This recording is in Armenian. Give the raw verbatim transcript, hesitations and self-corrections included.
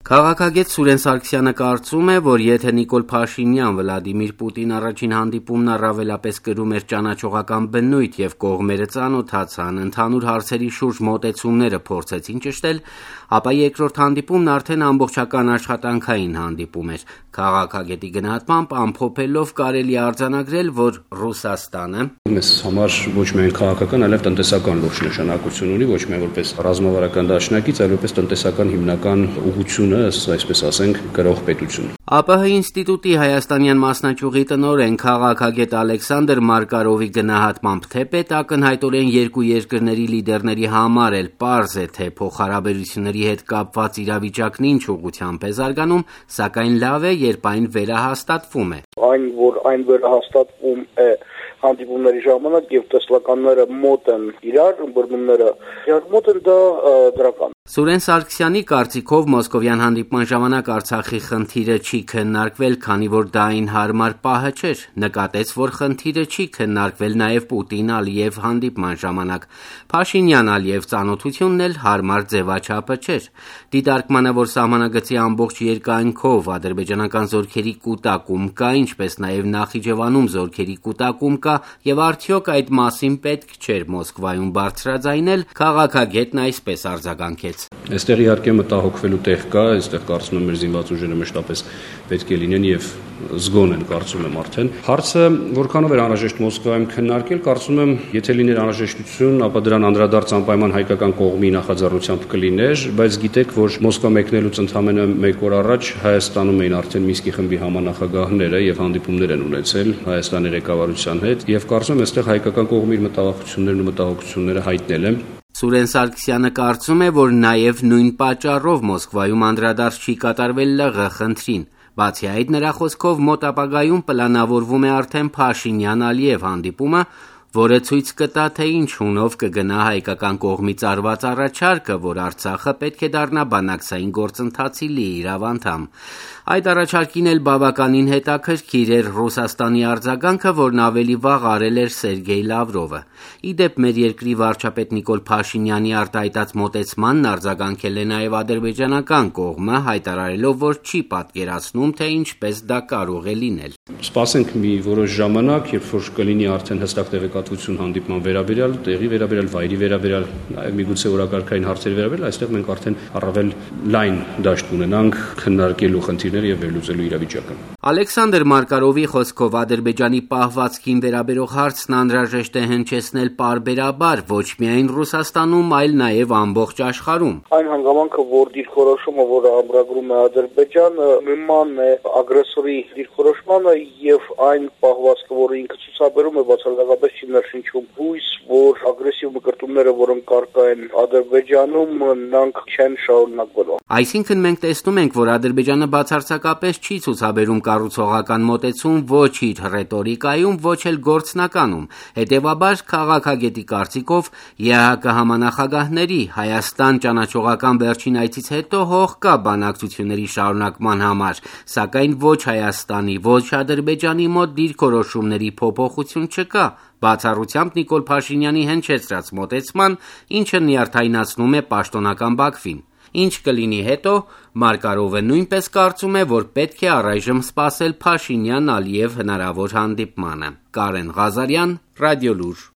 Քաղաքագետ Սուրեն Սարգսյանը կարծում է, որ եթե Նիկոլ Փաշինյան Վլադիմիր Պուտին առաջին հանդիպումն առավելապես կրում էր ճանաչողական բնույթ եւ կողմերը ծանոթացան, ընդհանուր հարցերի շուրջ մոտեցումները փորձեցին ճշտել, ապա երկրորդ հանդիպումն արդեն ամբողջական աշխատանքային հանդիպում էր։ Քաղաքագետի գնահատմամբ ամփոփելով կարելի է արձանագրել, որ Ռուսաստանը մեզ համար ոչ միայն քաղաքական, այլև տնտեսական լուրջ նշանակություն ունի, ոչ միայն որպես ռազմավարական դաշնակից, այլ որպես տնտեսական հիմնական ուղղությունը, այսպես ասենք, գրող պետություն։ ԱՊՀ ինստիտուտի հայաստանյան մասնաճյուղի տնօրեն քաղաքագետ Ալեքսանդր Մարկարովի գնահատմամբ, թե պետ ակնհայտորեն երկու երկրների լիդերների համար էլ պարզ է, թե փոխհարաբերությունների հետ կապված իրավիճակն ինչ ուղղությամբ է զարգանում, սակայն լավ է, երբ այն վերահաստատվում է։ Այն, որ այն վերահաստատվում է հանդիպումների ժամանակ եւ տեսլականները մոտ են իրար, բռնումները իրար մոտ են, դա դրական։ Սուրեն Սարգսյանի կարծիքով մոսկովյան հանդիպման ժամանակ Արցախի խնդիրը չի քննարկվել, քանի որ դա այն հարմար պահը չէր։ Նկատեց, որ խնդիրը չի քննարկվել նաև Պուտին-Ալիև հանդիպման ժամանակ։ Փաշինյան-Ալիև ծանոթությունն էլ հարմար ձևաչափը չէր։ Դիտարկմանը, որ սահմանագծի ամբողջ երկայնքով ադրբեջանական զորքերի կուտակում կա, ինչպես նաև Նախիջևանում զորքերի կուտակում կա, եւ արդյոք այդ մասին պետք չէր Մոսկվայում բարձրաձայնել, քաղաքագետն այսպես արձագանքեց. Այստեղ իհարկե մտահոգվելու տեղ կա, այստեղ կարծում եմ մեր զինված ուժերը մշտապես պետք է լինեն եւ զգոն են, կարծում եմ արդեն։ Հարցը որքանով էր անհրաժեշտ Մոսկվայում քննարկել, կարծում եմ, եթե լիներ անհրաժեշտություն, ապա դրան անդրադարձ անպայման հայկական կողմի նախաձեռնությամբ կլիներ, բայց գիտեք, որ Մոսկվա մեկնելուց ընդամենը մեկ օր առաջ Հայաստանում էին արդեն Մինսկի խմբի համանախագահները եւ հանդիպումներ են ունեցել Հայաստանի ղեկավարության հետ, եւ կարծում եմ, այստեղ հայկական կողմի մտահոգություններն ու մտահոգությունները հայտնել են։ Սուրեն Սարգսյանը կարծում է, որ նաև նույն պատճառով Մոսկվայում անդրադարձ չի կատարվել ԼՂ խնդրին։ Բացի այդ, նրա խոսքով մոտ ապագայում պլանավորվում է արդեն Փաշինյան-Ալիև հանդիպումը, որը ցույց կտա, թե ինչ հունով կգնա հայկական կողմից արված առաջարկը, որ Արցախը պետք է դառնա բանակցային գործընթացի լիիրավ անդամ։ Այդ առաջարկին էլ բավականին հետաքրքիր էր Ռուսաստանի արձագանքը, որն ավելի վաղ արել էր Սերգեյ Լավրովը։ Ի դեպ, մեր երկրի վարչապետ Նիկոլ Փաշինյանի արտահայտած մոտեցմանն արձագանքել է նաև ադրբեջանական կողմը, հայտարարելով, որ չի պատկերացնում, թե ինչպես դա կարող է լինել։ Սպասենք մի որոշ ժամանակ, երբ որ կլինի արդեն հստակ տեղեկատվություն հանդիպման վերաբերյալ, տեղի վերաբերյալ, վայրի վերաբերյալ, նաև միգուցե օրակարգային հարցերի վերաբերյալ, այստեղ մենք արդեն առավել լայն դաշտ ունենանք քննարկելու խնդիրները եւ վերլուծելու իրավիճակը։ Ալեքսանդր Մարկարովի խոսքով Ադրբեջանի պահվածքին վերաբերող հարցն անհրաժեշտ է հնչեցնել պարբերաբար, ոչ միայն Ռուսաստանում, այլ նաև ամբողջ աշխարհում։ Այն հանգամանքը, որ դիրքորոշումը, որը ամրագրում է Ադրբեջանը, նման է ագրեսորի դիրքորոշմանը եւ այն պահվածքը, որը ինքը ցուցաբերում է, բացարձակապես չի ներշնչում հույս, որ ագրեսիվ մկրտումները, որոնք կարգա են Ադրբեջանում, նրանք չեն շարունակվելու։ Այսինքն մենք տեսնում ենք, որ Ադրբեջանը բացարձակապես չի ցուցաբերում կառուցողական մոտեցում ոչ իր ռետորիկայում, ոչ էլ գործնականում։ Հետևաբար, քաղաքագետի կարծիքով ԵԱՀԿ համանախագահների Հայաստան ճանաչողական վերջին այցից հետո հող կա բանակցությունների շարունակման համար, սակայն ոչ Հայաստանի, ոչ Ադրբեջանի մոտ դիրքորոշումների փոփոխություն չկա, բացառությամբ Նիկոլ Փաշինյանի հնչեցրած մոտեցման, ինչը նյարդայնացնում է պաշտոնական Բաքվին։ Ինչ կլինի հետո, Մարկարովը նույնպես կարծում է, որ պետք է առայժմ սպասել Փաշինյան-Ալիև հնարավոր հանդիպմանը։ Կարեն Ղազարյան, Ռադիոլուր։